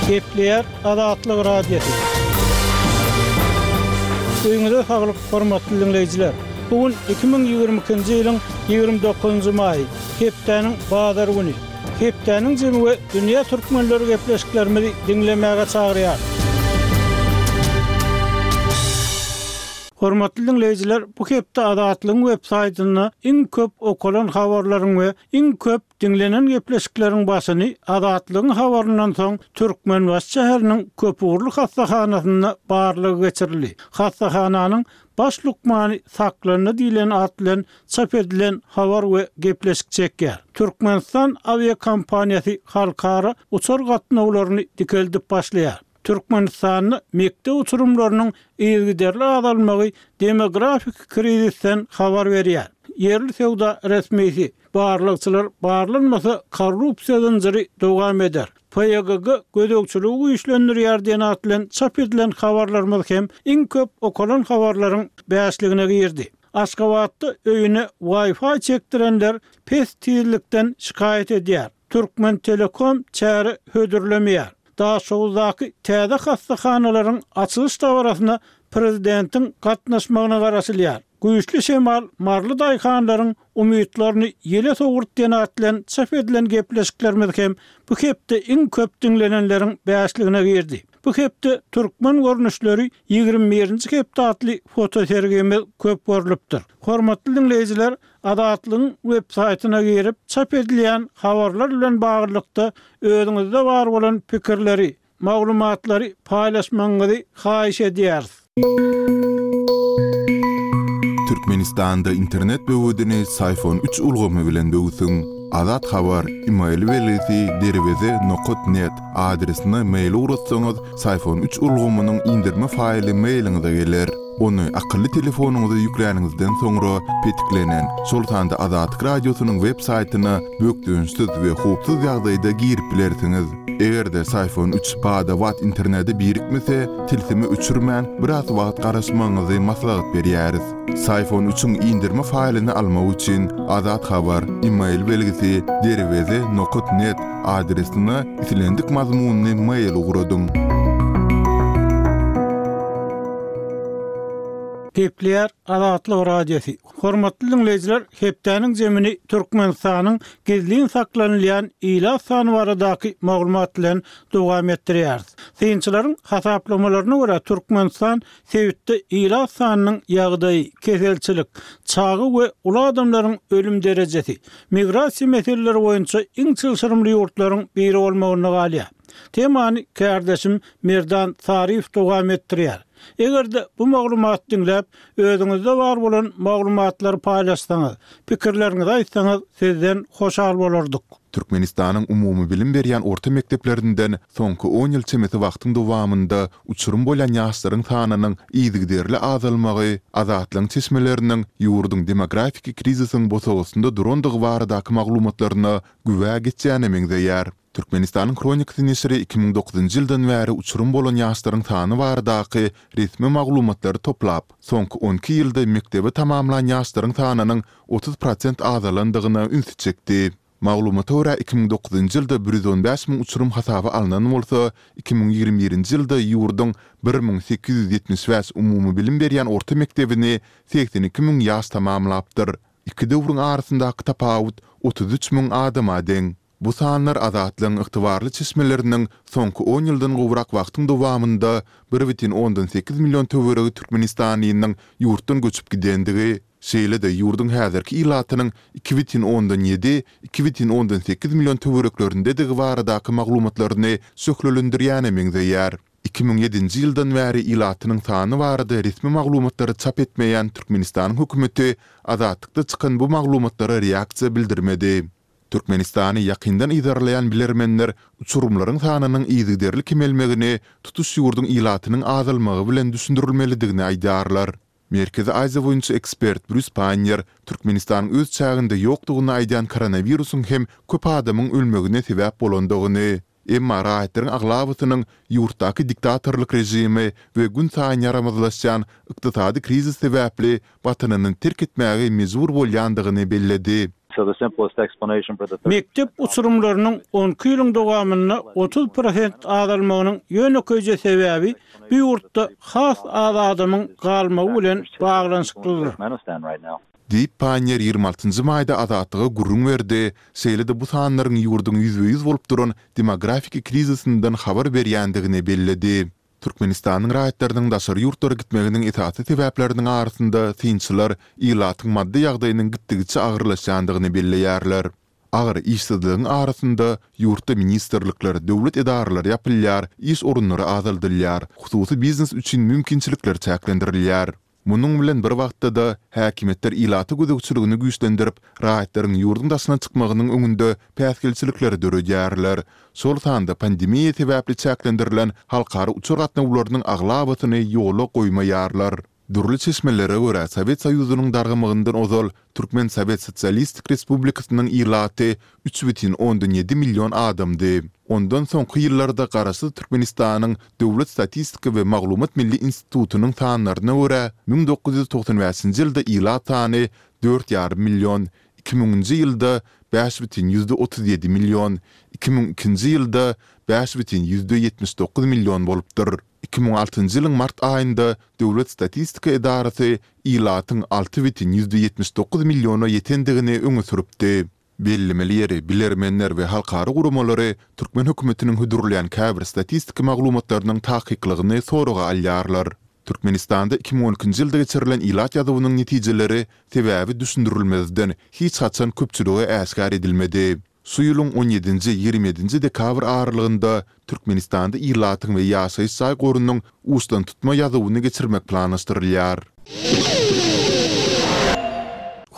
Gepleýär Azatlyk Radiosy. Öýüňize saglyk, hormatly diňleýjiler! Bu gün 2022-nji ýylyň 29-njy maýy, hepdäniň bazar güni. Hepdäniň jemi we dünýä türkmenleri gepleşiklerimizi diňlemäge çagyrýar. Hormatly diňleýjiler, bu hepde Azatlygyň web saýtynda iň köp okalan habarlaryň we iň köp diňlenen gepleşikleriň başyny Azatlygyň habaryndan soň Türkmenbaşy şäheriniň köpugurly hassahanasynda barlag geçirildi. Hassahananyň baş lukmany saklandy diýlen at bilen çap edilen habar we gepleşik çekýär. Türkmenistan awiakompaniýasy halkara uçar gatnawlaryny dikeldip başlaýar. Türkmenistanda mekdep uçurymlarynyň yzygiderli azalmagy demografik krizisden habar berýär. Ýerli söwda resmisi, Barlagçylar barlanmasa, korrupsiýa zynjyry dowam eder. PYGG gözegçiligi güýçlendirýär diýen at bilen çap edilen habarlarymyz hem iň köp okalan habarlaryň bäşligine girdi. Aşgabatda öýüne Wi-Fi çekdirenler pes tizlikden şikaýat edýär. Türkmentelekom çäre hödürlemeýär. Daşoguzdaky täze hassahanalaryň açylyş dabarasyna prezidentiň gatnaşmagyna garaşylýar. Güýçli şemal maryly daýhanlaryň umytlaryny ýele sowurdy diýen at bilen çap edilen gepleşiklerimiz hem bu hepde iň köp diňlenenleriň bäşligine girdi. Bu hepde Türkmen görnüşleri 21-nji hepde atly fotosergimiz köp görlüpdir. Hormatly diňleýjiler, Azatlygyň web saýtyna girip, çap edilýän habarlar bilen baglylykda özüňizde bar bolan pikirleri, maglumatlary paýlaşmagyňyzy haýyş edýäris. Türkmenistanda internet böwedini Syfon üç ulgamy bilen böwsüň. Azat Habar, email belgisi derweze nokat net adresine mail ugratsaňyz, Syfon üç ulgamynyň indirme faýly mailiňize geler. Ony akylly telefonyňyza ýükläniňizden soňra petiklenen, şol sanda Azatlyk Radiosynyň web saýtyna bökdençsiz we howpsuz ýagdaýda girip bilersiňiz. Eger-de Syfon üç bada-bat internete birikmese, tilsimi öçürmän, biraz wagt garaşmagyňyzy maslahat berýäris. Syfon üçiň indirme faýlyny almak üçin Azat Habar, email belgisi, derweze nokat net, adresine islendik mazmunly mail ugradyň. Gepleýär Azatlyk Radiosy. Hormatly diňleýjiler, hepdäniň jemini Türkmenistanyň gizlin saklanylýan ilat sany baradaky maglumat bilen dowam etdirýäris. Synçylaryň hasaplamalaryna görä, Türkmenistan sebitde ilat sanynyň ýagdaýy, keselçilik, çaga we uly adamlaryň ölüm derejesi, migrasiýa meseleleri boýunça iň çylşyrymly ýurtlaryň biri bolmagynda galýar. Temany kärdeşim Merdan Saryýew dowam etdirýär. Eger-de bu maglumaty diňläp, özüňizde bar bolan maglumatlary paýlaşsaňyz, pikirleriňizi aýtsaňyz sizden hoşal bolardyk. Türkmenistanyň umumybilim berýän orta mekdeplerinden soňky on ýyl çemesi wagtyň dowamynda uçurym bolýan ýaşlaryň sanynyň yzygiderli azalmagy Azatlygyň çeşmeleriniň ýurduň demografiki krizisiň bosagasynda durandygy baradaky maglumatlaryna güwä geçýäne meňzeýär. Türkmenistanyň Hronikasy neşiri 2009-njy ýyldan bäri uçurym bolan ýaşlaryň sany baradaky resmi maglumatlary toplap, soňky on iki ýylda mekdebi tamamlan ýaşlaryň sanynyň 30 prosent azalandygyna ünsi çekdi. Maglumata görä, 2009-njy ýylda 115 müň uçurym hasaba alnan bolsa, 2021-nji ýylda ýurduň 1875 umumybilim berýän orta mekdebini 82 müň ýaş tamamlapdyr. Iki döwrüň arasyndaky tapawut 33 müň adama deň. Bu sanlar Azatlygyň ygtybarly çeşmeleriniň soňky on ýyldan gowrak wagtyň dowamynda bir bütin ondan sekiz million töweregi türkmenistanlynyň ýurtdan göçüp gidendigi, şeýle-de ýurduň häzirki ilatynyň iki bütin ondan ýedi, iki bütin ondan sekiz million töwereklerindedigi baradaky maglumatlaryny şöhlelendirýäne meňzeýär. 2007-nji ýyldan bäri ilatynyň sany barada resmi maglumatlary çap etmeýän Türkmenistanyň hökümeti Azatlykda çykan bu maglumatlara reaksiýa bildirmedi. Türkmenistany ýakyndan yzarlaýan bilermenler uçurymlaryň sanynyň yzygiderli kemelmegini tutuş ýurduň ilatynyň azalmagy bilen düşündirilmelidigini aýdýarlar. Merkezi Aziýa boýunça ekspert Brýus Paýner Türkmenistanyň öz çäginde ýokdugyny aýdýan koronawirusyň hem köp adamyň ölmegine sebäp bolandygyny, emma raýatlaryň aglabasynyň ýurtdaky diktatorlyk režimi we günsaýyn ýaramazlaşýan ykdysady krizis sebäpli Watanyny terk etmäge mejbur bolýandygyny belledi. Mekdep uçurymlarynyň on iki ýylyň dowamynda 30 prosent azalmagynyň ýönekeýje sebäbi bu ýurtda has az adamyň galmagy bilen baglanyşyklydyr. Diýip, Panniýer 26 njy maýda Azatlyga gürrüň berdi, şeýle-de bu sanlaryň ýurduň ýüzbe-ýüz bolup duran demografiki krizisinden habar berýändigini belledi. Türkmenistanyň raýatlarynyň daşary ýurtlara gitmeginiň esasy sebäpleriniň arasynda synçylar ilatyň maddy ýagdaýynyň gitdigiçe agyrlaşýandygyny belleýärler. Agyr işsizligiň arasynda ýurtda ministrlikler, döwlet edaralary ýapylýar, iş orunlary azaldylýar, hususy biznes üçin mümkinçilikler çäklendirilýär. Munuň bilen bir wagtda-da, häkimiýetler ilata gözegçiligini güýçlendirip, raýatlaryň ýurduň daşyna çykmagynyň öňünde päsgelçilikleri döredýärler. Şol sanda pandemiýa sebäpli çäklendirilen halkara uçar gatnawlarynyň aglabasyny ýola goýmaýarlar. Dürli çeşmelere görä, Sowet Soýuzynyň dargamagyndan ozal Türkmen Sowet Sosialistik Respublikasynyň ilaty 3,7 million adamdy. Ondan soňky ýyllarda Garaşsyz Türkmenistanyň Döwlet statistika we maglumat milli institutynyň sanlaryna görä, 1995-nji ýylda ilat sany dört ýarym million, iki müňünji ýylda bäş bütin ýüzde 37 million, 2002-nji ýylda bäş bütin ýüzde 79 million bolupdyr. 2006-njy ýylyň mart aýynda Döwlet statistika edarasy ilatyň alty bütin ýüzde 79 milliona ýetendigini öňe sürüpdi. Bellemeli ýeri, bilermenler we halkara guramalary türkmen hökümetiniň hödürleýän käbir statistik maglumatlarynyň takyklygyny soraga alýarlar. Türkmenistanda 2012-nji ýylda geçirilen ilat ýazuwynyň netijeleri sebäbi düşündirilmezden hiç haçan köpçülige äşgär edilmedi. Şu ýylyň on ýedinji, 27-nji dekabr aralygynda Türkmenistanda ilatyň we ýaşaýyş jaý gorunyň uçdantutma ýazuwyny geçirmek planlaşdyrylýar.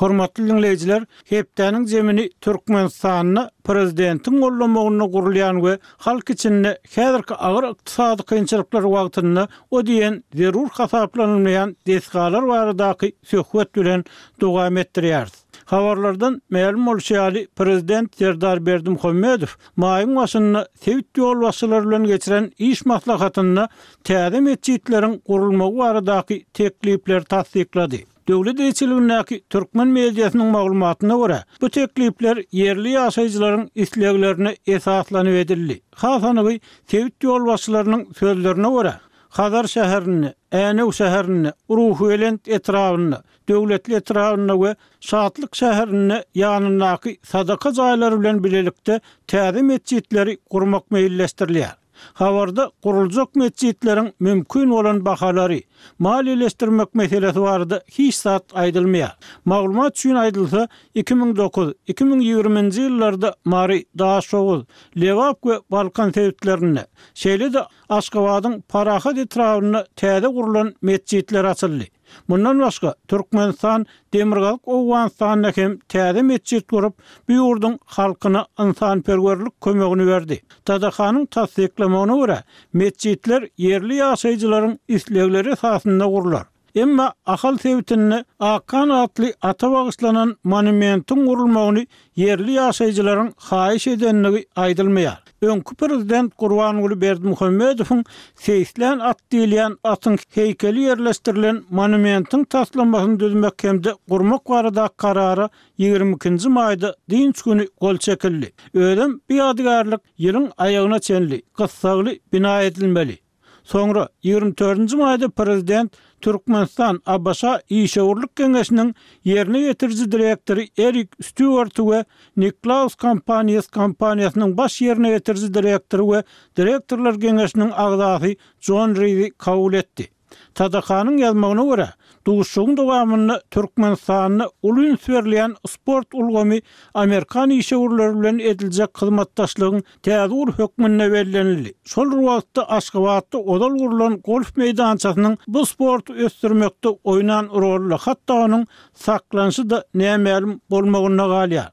Hormatly diňleýjiler, hepdäniň jemini Türkmenistanda prezidentiň gollamagynda gurulýan we halk içinde häzirki agyr ykdysady kynçylyklar wagtynda o diýen zerur hasaplanylmaýan desgalar baradaky söhbet bilen dowam etdirýäris. Habarlardan mälim bolşy ýaly, prezident Serdar Berdimuhamedow maýyň başynda sebit ýolbaşçylary bilen geçiren iş maslahatynda täze metjitleriň gurulmagy baradaky teklipleri tassyklady. Döwlet eýeçiligindäki türkmen mediasynyň maglumatyna görä, bu teklipler ýerli ýaşaýjylaryň isleglerine esaslanyp edildi. Has anygy, sebit ýolbaşçylarynyň sözlerine görä, Hazar şäherinde, Änew şäherinde, Ruhubelent etrabynda, Döwletli etrabynda we Şatlyk şäherinde ýanyndaky sadaka jaýlary bilen bilelikde täze metjitleri gurmak meýilleşdirilýär. Habarda guruljak metjitleriň mümkin bolan bahalary, maliýeleşdirmek meselesi barada hiç zat aýdylmaýar. Maglumat üçin aýdylsa, 2009, 2020-nji ýyllarda Mary, Daşoguz, Lebap we Balkan sebitlerinde, şeýle-de Aşgabadyň Parahat etrabynda täze gurlan metjitler açyldy. Mundan başga, Türkmenistan Demirgazyk Owganystanda hem täze metjit gurup, bu ýurduň halkyna ynsanperwerlik kömegini berdi. TDH-nyň tassyklamagyna görä, metjitler ýerli ýaşaýjylaryň islegleri esasynda gurlar. Emma Ahal sebitinde Akhan atly ata bagyşlanan monumentiň gurulmagyny ýerli ýaşaýjylaryň haýyş edendigi aýdylmaýar. Öňki prezident Gurbanguly Berdimuhamedowyň seýislän at diýilýän atyň heýkeli ýerleşdirilen monumentiň taslamasyny düzmek hem-de gurmak baradaky karara 22 nji maýda dynç güni gol çekildi. Özem bu ýadygärlik ýylyň aýagyna çenli gyssagly bina edilmeli. Soňra, 24 nji maýda prezident Türkmenistan, ABŞ Işewürlik geňeşiniň ýerine ýetiriji direktory Erik Stýuarty we Niklaus Companies kompaniýasynyň baş ýerine ýetiriji direktory we direktorlar geňeşiniň agzasy Jon Rizi kabul etdi. TDH-nyň ýazmagyna görä, duşuşygyň dowamynda Türkmenistanda uly üns berilýän sport ulgamy amerikan işewürleri bilen ediljek hyzmatdaşlygyň täze ugur hökmünde bellenildi. Şol bir wagtda Aşgabatda ozal gurlan golf meýdançasynyň bu sporty ösdürmekde oýnan roly, hatda onuň saklanyşy-da nämälim bolmagynda galýar.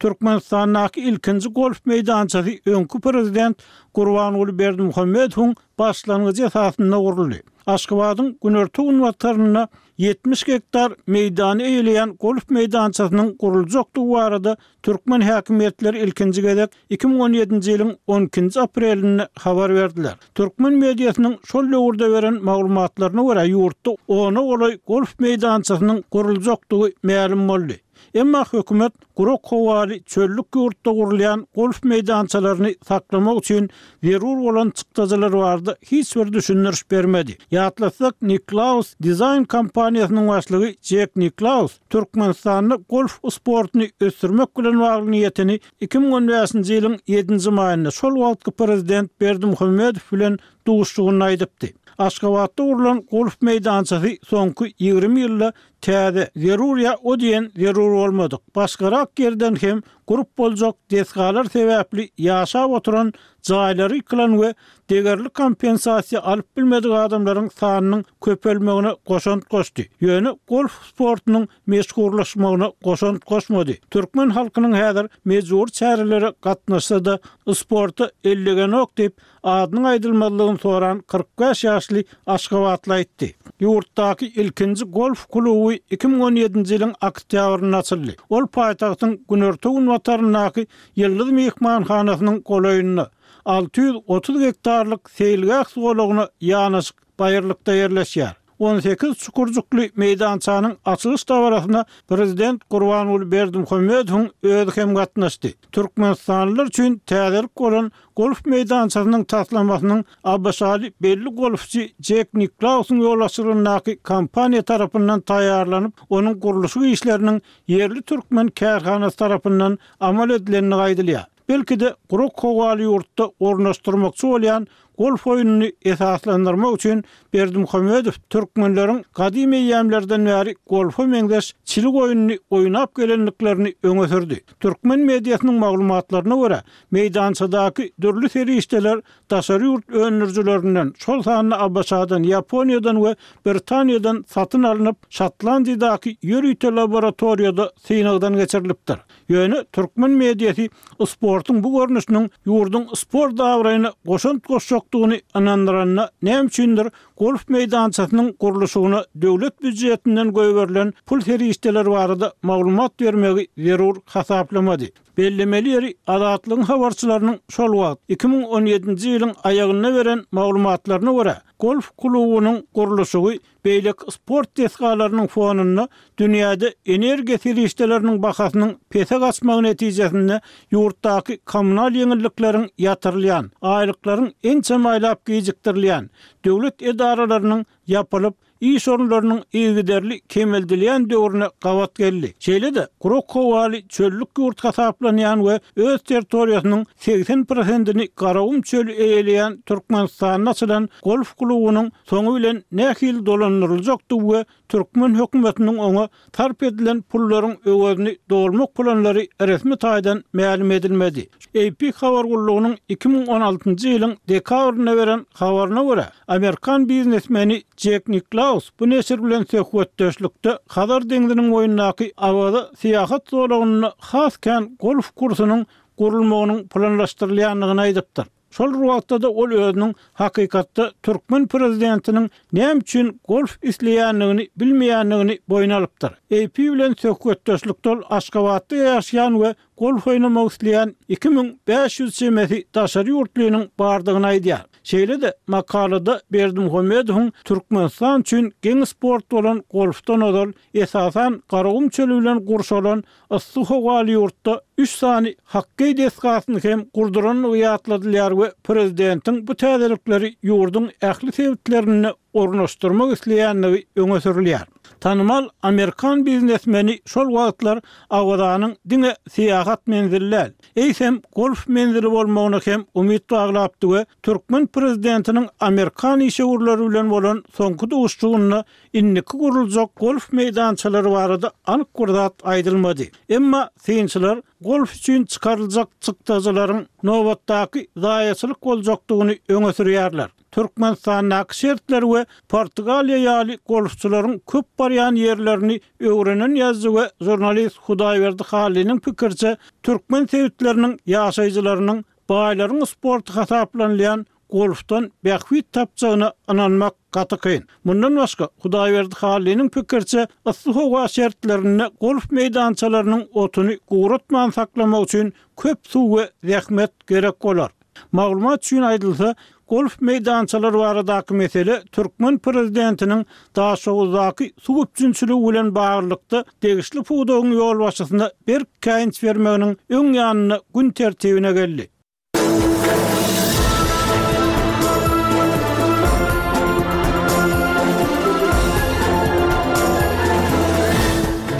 Türkmenistandaky ilkinji golf meýdançasy öňki prezident Gurbanguly Berdimuhamedowyň başlangyjy esasynda guruldy. Aşgabadyň günorta-günbatarynda 70 gektar meýdany eýeleýän golf meýdançasynyň guruljakdygy barada türkmen häkimiýetleri ilkinji gezek 2017-nji ýylyň on ikinji aprelinde habar berdiler. Türkmen mediasynyň şol döwürde beren maglumatlaryna görä, ýurtda ona golaý golf meýdançasynyň guruljakdygy mälim boldy. Emma hökümet gurak howaly çöllük ýurtda gurulýan golf meýdançalaryny saklamak üçin zerur bolan çykdajylar barada hiç bir düşündiriş bermedi. Ýatlatsak, Niklaus dizaýn kompaniýasynyň başlygy Jek Niklaus Türkmenistanda golf sportuny ösdürmek bilen bagly niýetini 2015-nji ýylyň ýedinji maýynda şol wagtky prezident Berdimuhamedow bilen duşuşygynda aýdypdy. Aşgabatda gurlan golf meýdançasy soňky 20 ýylda täze, zerur ýa o diýen zerur bolmadyk, başgarak ýerden hem gurup boljak desgalar sebäpli ýaşap oturan jaýlary ýykylan we degerli kompensasiýa alyp bilmedik adamlaryň sanynyň köpelmegine goşant goşdy, ýöne golf sportunyň meşhurlaşmagyna goşant goşmady. Türkmen halkynyň häzir mejbury çärelere gatnaşsa-da, sporta ellegenok diýip, adynyň aýdylmazlygyny soran 45 ýaşly aşgabatly aýtdy. Ýurtdaky ilkinji golf kluby 2017-nji ýylyň oktýabrynda açyldy. Ol paýtagtyň günorta-günbataryndaky Ýyldyz myhmanhanasynyň golaýynda, 630 gektarlyk seýilgäh zolagyna ýanaşyk baýyrlykda ýerleşýär. 18 çukurjykly meýdançanyň açylyş dabarasyna prezident Gurbanguly Berdimuhamedowyň özi hem gatnaşdy. Türkmenistanlylar üçin täzelik bolan golf meýdançasynyň taslamasynyň ABŞ-ly belli golfçy Jek Niklausyň ýolbaşçylygyndaky kompaniýa tarapyndan taýýarlanyp, onuň gurluşyk işleriniň ýerli türkmen kärhanasy tarapyndan amal edilendigi aýdylýar. Belki-de, gurak howaly ýurtda ornaşdyrmakçy bolýan golf oýnuny esaslandyrmak üçin Berdimuhamedow türkmenleriň gadym eýýämlerden bäri golfa meňzeş çilik oýnuny oýnap gelendiklerini öňe sürdi. Türkmen mediasynyň maglumatlaryna görä, meýdançadaky dürli serişdeler daşary ýurt öndürijilerinden, şol sanda ABŞ-dan, Ýaponiýadan we Britaniýadan satyn alnyp, Şotlandiýadaky ýörite laboratoriýada synagdan geçirilipdir. Ýöne türkmen mediasy sportuň bu görnüşiniň ýurduň sport abraýyna goşant goşjakdygyny ynandyranda näme üçindir golf meýdançasynyň gurluşygyna döwlet býujetinden goýberilen pul serişdeleri barada maglumat bermegi zerur hasaplamady. Bellemeli ýeri, Azatlygyň habarçylarynyň şol wagt, 2017-nji ýylyň aýagynda beren maglumatlaryna görä, golf klubunyň gurluşygy Beýleki sport desgalarynyň fonunda dünýäde energiýa serişdeleriniň bahasynyň pese gaçmagy netijesinde ýurtdaky kommunal ýeňillikleriň ýatyrylýan, aýlyklaryň ençeme aýlap gijikdirilýän, döwlet edaralarynyň ýapylyp, iş orunlarynyň yzygiderli kemeldilýän döwrüne gabat geldi. Şeýle-de, gurak howaly çöllük ýurt hasaplanýan we öz territoriýasynyň 80 prosentini Garagum çöli eýeleýän Türkmenistanda açylan golf klubunyň soňy bilen nähili dolandyryljakdygy we türkmen hökümetiniň oňa sarp edilen pullaryň öwezini dolmak planlary resmi taýdan mälim edilmedi. AP habar gullugynyň 2016-njy ýylyň dekabrynda beren habaryna görä, amerikan biznesmeni Jek Niklaus bu neşir bilen söhbetdeşlikde Hazar deňziniň boýundaky Awaza syýahat zolagynda has kän golf kursunyň gurulmagynyň planlaşdyrylýandygyny aýdypdyr. Şol bir wagtda-da ol özüniň hakykatda türkmen prezidentiniň näme üçin golf isleýändigini bilmeýändigini boýun alypdyr. AP bilen söhbetdeşlikde ol Aşgabatda ýaşaýan we golf oýnamak isleýän 2500 çemesi daşary ýurtlynyň bardygyny aýdýar. Şeýle-de, makalada Berdimuhamedowyň Türkmenistan üçin geň sport bolan golfdan ozal, esasan, Garagum çöli bilen gurşalan Yssy howaly ýurtda üç sany hokkeý desgasyny hem gurdurandygy ýatladylýar we prezidentiň bu täzelikleri ýurduň ähli sebitlerinde ornaşdyrmak isleýändigi öňe sürülýär. Tanymal amerikan biznesmeni şol wagtlar Awazanyň diňe syýahat menzili däl, eýsem golf menzili bolmagyna hem umyt baglapdy we türkmen prezidentiniň amerikan işewürleri bilen bolan soňky duşuşygynda Indiki guruljak golf meýdançalary barada anyk bir zat aýdylmady. Emma synçylar golf üçin çykaryljak çykdajylaryň nobatdaky zaýaçylyk boljakdygyny öňe sürýärler. Türkmenistandaky şertleri we Portugaliýa ýaly golfçylaryň köp barýan ýerlerini öwrenen ýazyjy we žurnalist Hudaýberdi Hallynyň pikiriçe, türkmen sebitleriniň ýaşaýjylarynyň baýlaryň sporty hasaplanylýan golfdan bähbit tapjagyna ynanmak gaty kyn. Mundan başga, Hudaýberdi Hallynyň pikiriçe, yssy howa şertlerinde golf meýdançalarynyň otuny guratman saklamak üçin köp suw we zähmet gerek bolar. Maglumat üçin aýdylsa, Golf meýdançalary baradaky mesele türkmen prezidentiniň Daşoguzdaky suw üpjünçiligi bilen baglylykda degişli pudagyň ýolbaşçysyna berk käýinç bermeginiň öň ýanynda gün tertibine geldi.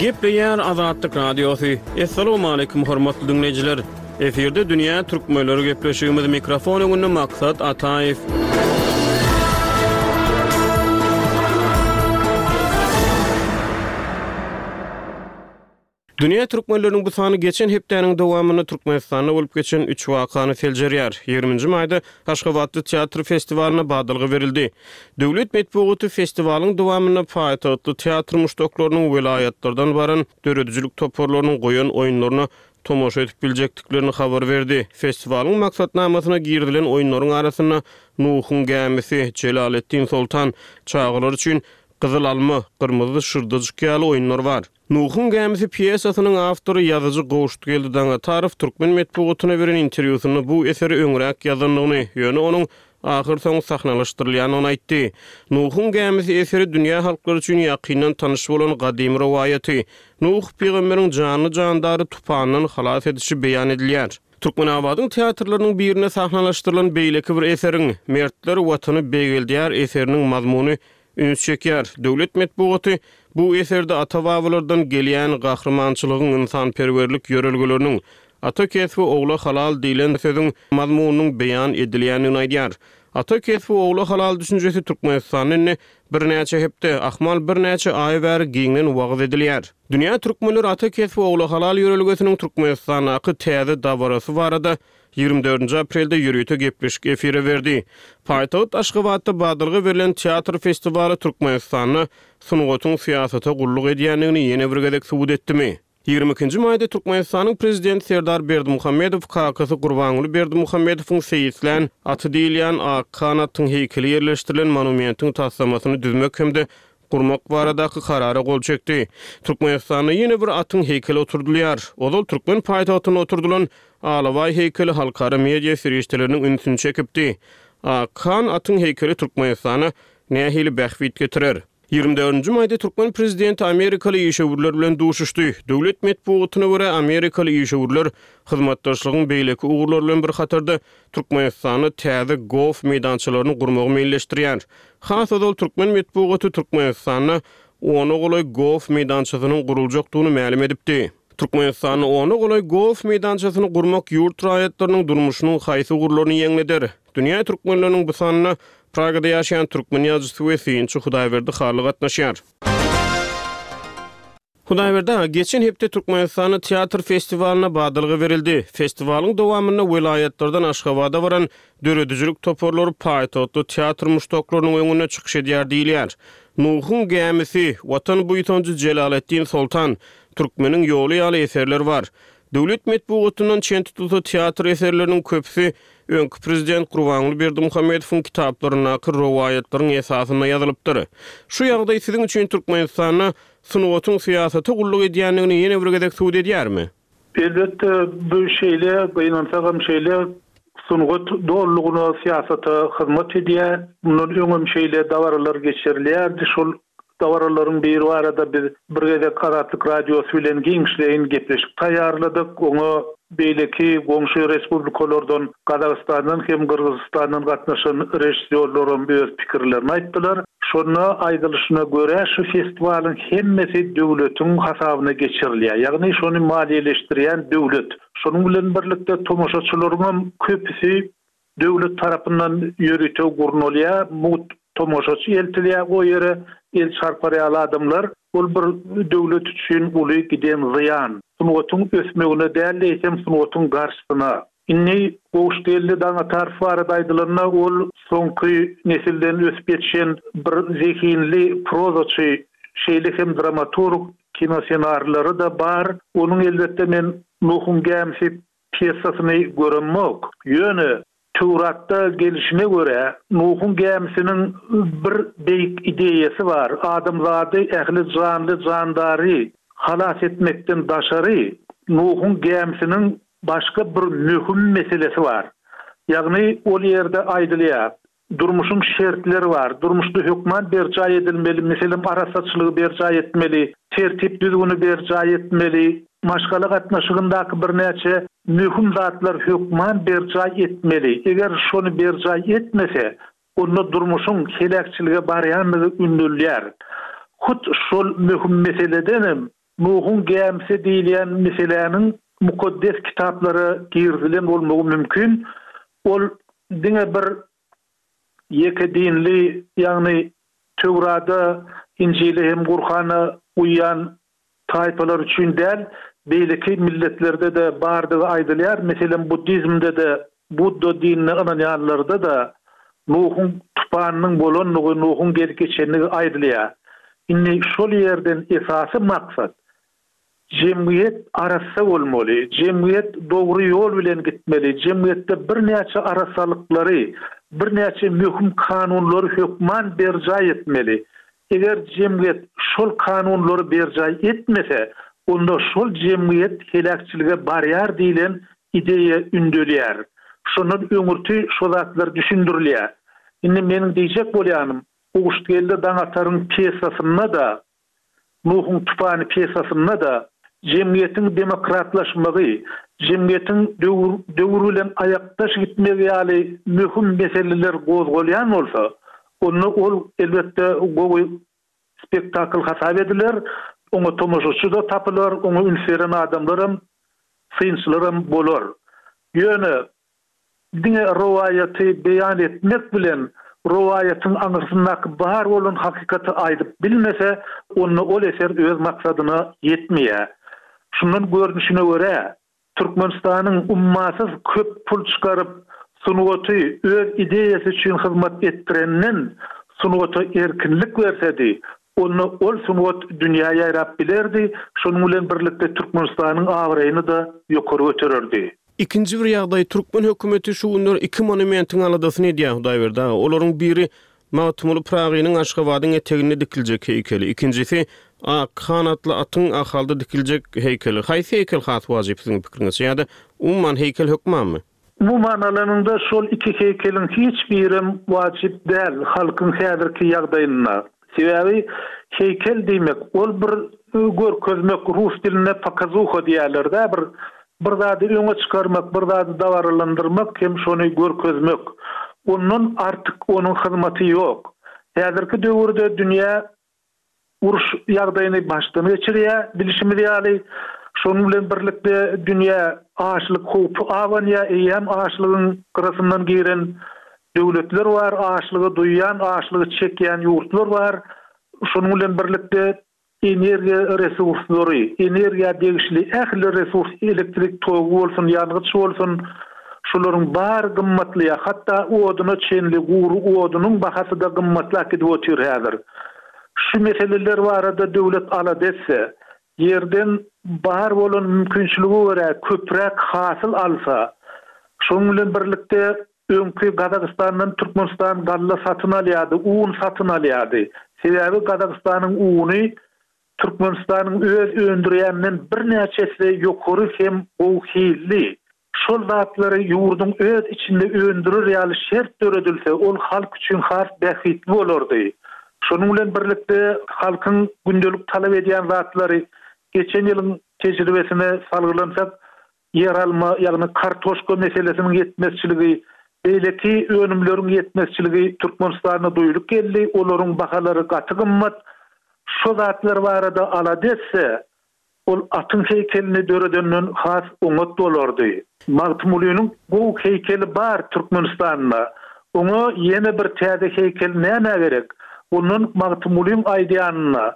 Gepleýär Azatlyk Radiosy. Assalamualaikum hormatly diňleýjiler. Efirde dünýä türkmenleri gepleşigimiz mikrofon öňünde Maksat Ataýew. Dünýä türkmenleriniň bu sany geçen hepdäniň dowamynda Türkmenistanda bolup geçen üç wakany seljerýär. Ýigriminji maýda Aşgabatda teatr festiwalyna badalga berildi. Döwlet metbugaty festiwalyň dowamynda paýtagtly teatr muşdaklarynyň welaýatlardan baran döredijilik toparlarynyň goýan oýunlaryna tomaşa edip biljekdiklerini habar berdi. Festiwalyň maksatnamasyna girizilen oýunlaryň arasynda Nuhuň gämisi, Jelaleddin Soltan, çagalar üçin Gyzyl alma, Gyrmyzy şyrdajyk ýaly oýunlar bar. Nuhuň gämisi pýesasynyň awtory ýazyjy Gowşutgeldi Daňatarow türkmen metbugatyna beren interwýusynda bu eseri öňräk ýazandygyny, ýöne onuň ahyrsoňy sahnalaşdyrylýandygyny aýtdy. Nuhuň gämisi eseri dünýä halklary üçin ýakyndan tanyş bolan gadymy rowaýaty, Nuh pygamberiň janly-jandary tupandan halas edişi beýan edilýär. Türkmenabadyň teatrlarynyň birinde sahnalaşdyrylan beýleki bir eseriň, Mertler Watany beýgeldýär eseriniň mazmuny üns çekýär. Döwlet metbugaty bu eserde ata-babalardan gelýän gahrymançylygyň, ynsanperwerlik ýörelgeleriniň, Ata kesbi ogla halal diýlen sözüň mazmunynyň beýan edilýändigini aýdýar. Ata kesbi ogla halal düşünjesi Türkmenistanda indi birnäçe hepde, ahmal birnäçe aý bäri giňden wagyz edilýär. Dünýä türkmenleri ata kesbi ogla halal ýörelgesiniň Türkmenistandaky täze dabarasy barada 24 aprelde ýörite gepleşik efire berdi. Paýtagt Aşgabatda badalga berlen teatr festiwaly Türkmenistanda sungatyň syýasata gulluk edýändigini ýene bir gezek subut etdimi? 22-nji maýda Türkmenistanyň Prezidenti Serdar Berdimuhamedow kakasy Gurbanguly Berdimuhamedowyň seýislän aty diýilýän Akhan atyň heýkeli ýerleşdirilen monumentiň taslamasyny düzmek hem-de gurmak baradaky Karara gol çekdi. Türkmenistanda ýene bir atyň heýkeli oturdylýar. Ozal türkmen paýtagtynda oturdylan Alabaý heýkeli halkara media serişdeleriniň ünsüni çekipdi. Akhan atyň heýkeli Türkmenistana nähili bähbit getirer? 24-nji maýda türkmen prezidenti amerikaly işewürler bilen duşuşdy. Döwlet metbugatyna görä, amerikaly işewürler hyzmatdaşlygyň beýleki ugurlary bilen bir hatarda Türkmenistanda täze golf meýdançalaryny gurmagy meýilleşdirýär. Has ozal türkmen metbugaty Türkmenistanda ona golaý golf meýdançasynyň guruljakdygyny mälim edipdi. Türkmenistanda ona golaý golf meýdançasyny gurmak ýurt raýatlarynyň durmuşynyň haýsy ugurlaryny ýeňleder? Dünýä türkmenleriniň bu sanyna Pragada ýaşaýan türkmen ýazyjysy we synçy Hudaýberdi Hally gatnaşýar. Hudaýberdi aga, geçen hepde Türkmenistanda teatr festiwalyna badalga berildi. Festiwalyň dowamynda welaýatlardan Aşgabada baran döredijilik toparlary paýtagtly teatr muşdaklarynyň öňünde çykyş edýär diýilýär. Nuhuň gämisi, Watan buýsanjy Jelaleddin Soltan, Türkmeniň ýoly ýaly eserler bar. Döwlet metbugatyndan çen tutulsa, teatr eserleriniň köpüsi öňki prezident Gurbanguly Berdimuhamedowyň kitaplaryndaky rowaýatlaryň esasynda ýazylypdyr. Şu ýagdaý siziň üçin Türkmenistanda sungatyň syýasata gulluk edýändigini ýene bir gezek subut edýärmi? Elbetde, bu şeýle, gynansagam şeýle, sungat dolulygyna syýasata hyzmat edýär. Mundan öňem şeýle dabaralar geçirilýärdi. Şol dabaralaryň biri barada biz bir gezek Azatlyk Radiosy bilen giňişleýin gepleşik taýýarladyk. Oňa beýleki goňşy respublikalardan, Gazagystandan hem Gyrgyzystandan gatnaşan režissýorlaram öz pikirlerini aýtdylar. Şonda aýdylyşyna görä, şu festiwalyň hemmesi döwletiň hasabyna geçirilýär. Ýagny şony maliýeleşdirýän döwlet. Şonuň bilen birlikde tomaşaçylaryňam köpüsi döwlet tarapyndan ýörite gurnalýar, mugt tomaşaçy eltilýär o ýere, el çarpar ýaly adamlar. Ol bir döwlet üçin uly giden zyýan. Sungatyň ösmegine däl-de, eýsem sungatyň garşysyna. Indi Gowşutgeldi Daňatarow barada aýdylanda, ol soňky nesilden ösüp ýetişen bir zehinli prozaçy, şeýle hem dramaturg, kinosenarileri-de bar. Onuň elbetde men Nuhuň gämisi pýesasyny göremok. Ýöne Töwratda gelşine görä, Nuhuň gämisiniň bir beýik ideýasy bar, adamzady, ähli janly-jandary halas etmekden daşary, Nuhuň gämisiniň başga bir möhüm meselesi bar. Ýagny ol ýerde aýdylýar. Durmuşyň şertleri bar. Durmuşda hökman berjaý edilmeli, meselem, arassaçylygy berjaý etmeli, tertip-düzgüni berjaý etmeli, maşgala gatnaşygyndaky birnäçe möhüm zatlar hökman berjaý etmeli. Eger şony berjaý etmese, onda durmuşyň heläkçilige barýandygy ündelýär. Hut şol möhüm meseledenem Nuhuň gämisi diýilýän meseläniň mukaddes kitaplara girizilen bolmagy mümkin. Ol diňe bir ýeke dinli, ýagny Töwrada, Injile hem Gurhana uýýan taýpalar üçin däl, beýleki milletlerde-de bardygy aýdylýar. Meselem, buddizmde-de, budda dinine ynanýanlarda-da Nuhuň tupanynyň bolandygy, Nuhuň gelip geçendigi aýdylýar. Indi şol ýerden esasy maksat, jemgyýet arassa bolmaly, jemgyýet dogry ýol bilen gitmeli, jemgyýetde birnäçe arassalyklary, birnäçe möhüm kanunlary hökman berjaý etmeli. Eger jemgyýet şol kanunlary berjaý etmese, onda şol jemgyýet heläkçilige barýar diýlen ideýa ündelýär. Şondan öňürti şo zatlar düşündirilýär. Indi meniň diýjek bolýanym, Guşgeldi Daňataryň pýesasynda-da, Nuhuň tupany pýesasynda-da jemgyýetiň demokratlaşmagy, jemgyýetiň döwür döwür bilen aýakdaş gitmegi ýaly möhüm meseleler gozgalýan bolsa, onda ol, elbetde, gowy spektakl hasap ediler, oňa tomaşaçy-da tapylar, oňa üns beren adamlaram, synçylaram bolar. Ýöne diňe rowaýaty beýan etmek bilen rowaýatyň aňyrsyndaky bar bolan hakykaty aýdyp bilmese, onda ol eser öz maksadyna ýetmeýär. Şundan görnüşine görä, Türkmenistanyň ummasyz köp pul çykaryp, sungaty öz ideýasy üçin hyzmat etdirenden sungata erkinlik bersedi, onda ol sungat dünýä ýaýrap bilerdi, şonuň bilen birlikde Türkmenistanyň abraýyny-da ýokary götererdi. Ikinji bir ýagdaý, türkmen hökümeti şu günler iki monumentiň aladasyny edýär, Hudaýberdi aga. Olaryň biri Magtymguly Pyragynyň Aşgabadyň eteginde dikiljek heýkeli, ikinjisi Ak han atly atyň Ahalda dikiljek heýkeli. Haýsy heýkel has wajyp siziň pikiriňizçe ýa-da umuman heýkel hökmanmy? Umuman alanyňda şol iki heýkeliň hiç birem wajyp däl halkyň häzirki ýagdaýynda. Sebäbi heýkel diýmek ol bir görkezmek rus dilinde pokazuha diýýärler-dä bir bir zady öňe çykarmak bir zady dabaralandyrmak hem şony görkezmek. Ondan artyk onuň hyzmaty ýok. Häzirki döwürde dünýä uruş ýagdaýyny başdan geçirýär, bilşimiz ýaly. Şonuň bilen birlikde dünýä açlyk howpy abanýar, eýýäm açlygyň gyrasyndan giren döwletler bar, açlygy duýýan, açlygy çekýän ýurtlar bar. Şonuň bilen birlikde energiýa resurslary, energiýa degişli ähli resurs, elektrik togy bolsun, ýangyç bolsun, şularyň bary gymmatlaýar. Hatda oduna çenli, gury odunyň bahasy-da gymmatlap gidip otyr häzir. Şu meseleler barada döwlet alada etse, ýerden bar bolan mümkinçilige görä köpräk hasyl alsa, şonuň bilen birlikde öňki Gazagystandan Türkmenistan galla satyn alýardy, un satyn alýardy. Sebäbi Gazagystanyň uny Türkmenistanyň öz öndürýäninden birnäçe esse ýokary hem gowy hilli. Şol zatlary ýurduň öz içinde öndürer ýaly şert döredilse, ol halk üçin has bähbitli bolardy. Şonuň bilen birlikde, halkyň gündelik talap edýän zatlary, geçen ýylyň tejribesine salgylansak, ýeralma, ýagny kartoşka meselesiniň ýetmezçiligi, beýleki önümleriň ýetmezçiligi Türkmenistanda duýulyp geldi, olaryň bahalary gaty gymmat. Şo zatlar barada alada etse, ol atyň heýkelini döredenden has oňat bolardy. Magtymgulynyň gowy heýkeli bar Türkmenistanda. Oňa ýene bir täze heýkel nämä gerek? Ondan Magtymgulyň aýdýanyna,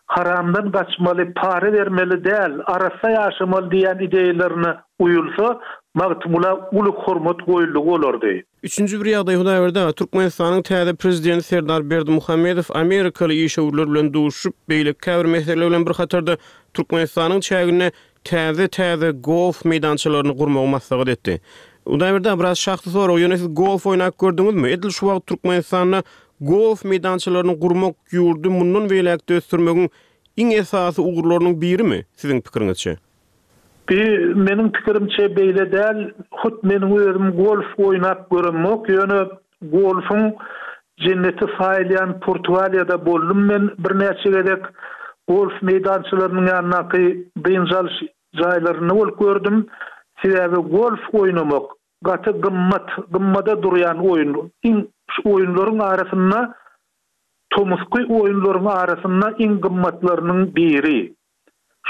haramdan gaçmaly, para bermeli däl, arassa ýaşamaly diýýän ideýalaryna uýulsa, Magtymgula uly hormat goýuldygy bolardy. Üçünji bir ýagdaý, Hudaýberdi aga, Türkmenistanyň täze prezidenti Serdar Berdimuhamedow amerikaly işewürler bilen duşuşyp, beýleki käbir meseleler bilen bir hatarda Türkmenistanyň çäginde täze-täze golf meýdançalaryny gurmagy maslahat etdi. Hudaýberdi aga, biraz şahsy sorag, ýöne siz golf oýnap gördüňizmi? Edil şu wagt Türkmenistanda golf meýdançalaryny gurmak ýurdy mundan beýläk-de ösdürmegiň iň esasy ugurlarynyň birimi, siziň pikiriňizçe? Bi, meniň pikirimçe, beýle däl. Hut meniň özüm golf oýnap göremok, ýöne. Golfuň jenneti saýylýan Portugaliýada boldum men birnäçe gezek. Golf meýdançalarynyň ýanyndaky dynç alyş jaýlarynda bolup gördüm. Sebäbi golf oýnamak gaty gymmat, gymmada durýan oýun. Iň şu oýunlaryň arasynda tomusky oýunlaryň arasynda iň gymmatlarynyň biri.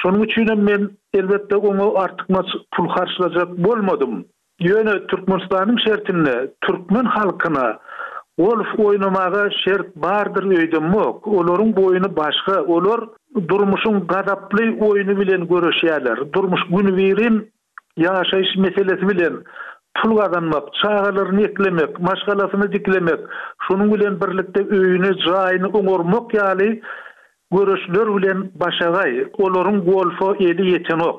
Şonuň üçinem men, elbetde, oňa artykmaç pul harçlajak bolmadym. Ýöne Türkmenistanyň şertinde türkmen halkyna golf oýnamaga şert bardyr öýdemok. Olaryň oýny başga. Olar durmuşyň gazaply oýny bilen göreşýärler. Durmuş günübirin ýaşaýyş meselesi bilen pul gazanmak, çagalaryny eklemek, maşgalasyny diklemek, şonuň bilen birlikde öýüni, jaýyny oňarmak ýaly göreşler bilen başagaý. Olaryň golfa eli ýetenok.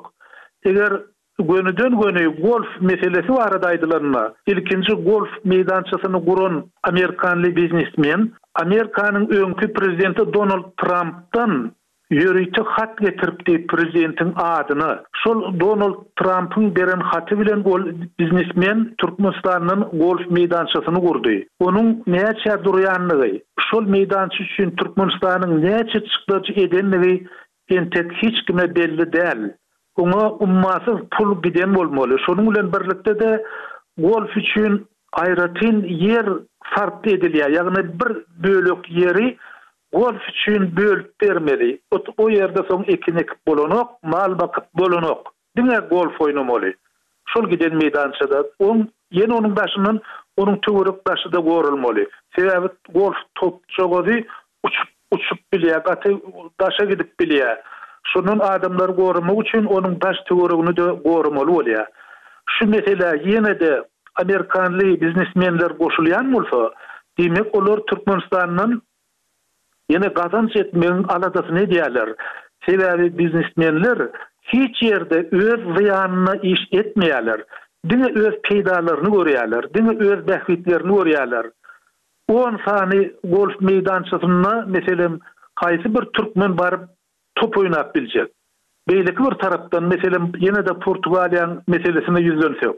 Eger gönüden-göni golf meselesi barada aýdylanda, ilkinji golf meýdançasyny guran amerikanly biznesmen, Amerikanyň öňki prezidenti Donald Trampdan ýörite hat getiripdi prezidentiň adyna. Şol Donald Trampyň beren haty bilen ol biznesmen Türkmenistandan golf meýdançasyny gurdy. Onuň näçä durýanlygy, şol meýdança üçin Türkmenistanyň näçe çykdajy edenligi entek hiç kime belli däl. Oňa ummasyz pul giden bolmaly. Şonuň bilen birlikde-de golf üçin aýratyn ýer sarp edilýär. Ýagny bir bölek ýeri golf üçin bölüp bermeli. O ýerde soň ekin ekip bolanok, mal bakyp bolanok. Diňe golf oýnamaly. Şol giden meýdançada. Oň ýene onuň daşyndan onuň töwerek daşy-da goralmaly. Sebäbi golf topjagazy uçup uçup bilýär, gaty daşa gidip bilýär. Şondan adamlary goramak üçin onuň daş töweregini-de goramaly bolýar. Şu meselä ýene-de amerikanly biznesmenler goşulýan bolsa, diýmek olar Türkmenistandan ýene gazanç etmegiň aladasyny edýärler. Sebäbi biznesmenler hiç ýerde öz zyýanyna iş etmeýärler. Diňe öz peýdalaryny görýärler, diňe öz bähbitlerini görýärler. On sany golf meýdançasynda, meselem, haýsy bir türkmen baryp top oýnap biljek? Beýleki bir tarapdan, meselem, ýene-de Portugaliýaň meselesine ýüzlensek.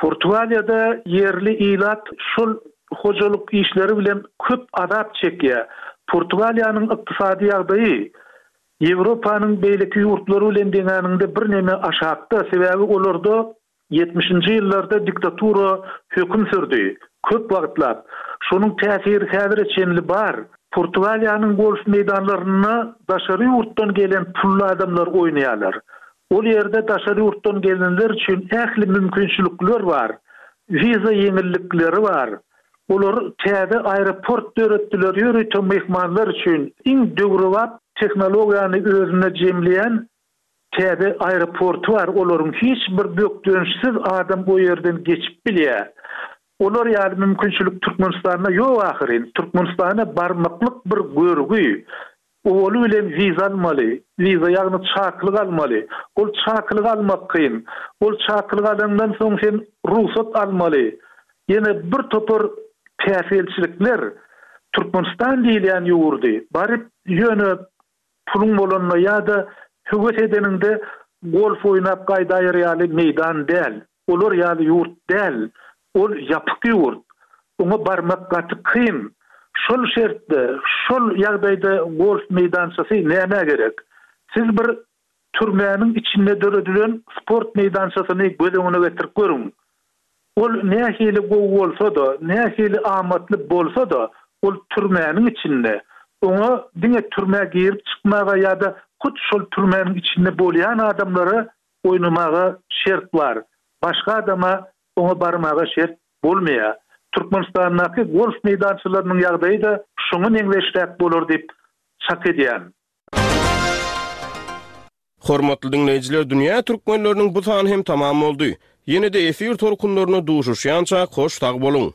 Portugaliýada ýerli ilat şol hojalyk işleri bilen köp azap çekýär. Portugaliýanyň ykdysady ýagdaýy Ýewropanyň beýleki ýurtlary bilen deňäniňde birneme aşakda, sebäbi olarda Ýetmişinji ýyllarda diktatura höküm sürdi. Köp wagtlap. Şonuň täsiri häzire çenli bar. Portugaliýanyň golf meýdanlarynda daşary ýurtdan gelen pully adamlar oýnaýarlar. Ol ýerde daşary ýurtdan gelenler üçin ähli mümkinçilikler bar. Wiza ýeňillikleri bar. Olar täze aeroport döretdiler ýörite myhmanlar üçin. Iň döwrebap tehnologiýany özünde jemleýän Täze aeroporty bar olaryň hiç bir bökdençsiz adam o ýerden geçip bilýär. Olar ýaly mümkinçilik Türkmenistanda ýok ahyryn. Türkmenistana barmaklyk bir görgi. Owaly bilen wiza almaly. Wiza ýagny çakylyk almaly. Ol çakylygy almak kyn. Ol çakylygy alaňdan soň sen rugsat almaly. Ýene bir topar päsgelçilikler. Türkmenistan diýilýän ýurdy baryp ýöne Puluň bolanda ýa-da höwes edeniňde golf oýnap gaýdaýar ýaly meýdan däl. Olar ýaly ýurt däl. Ol ýapyk ýurt. Oňa barmak gaty kyn. Şol şertde, şol ýagdaýda golf meýdançasy nämä gerek? Siz bir türmäniň içinde döredilen sport meýdançasyny göz öňüne getirip görüň. Ol nähili gowy bolsa-da, nähili amatly bolsa-da, ol türmäniň içinde. Oňa diňe türmä girip çykmaga ýa-da hut şol türmäniň içinde bolýan adamlara oýnamaga şert bar. Başga adama oňa barmaga şert bolmaýar. Türkmenistandaky golf meýdançalarynyň ýagdaýy-da şoňa meňzeşräk bolar diýip çak edýän. Hormatly diňleýjiler Dünýä Türkmenleriniň bu sany hem tamam boldy. Ýene-de efir tolkunlarynda duşuşýançak hoş sag boluň!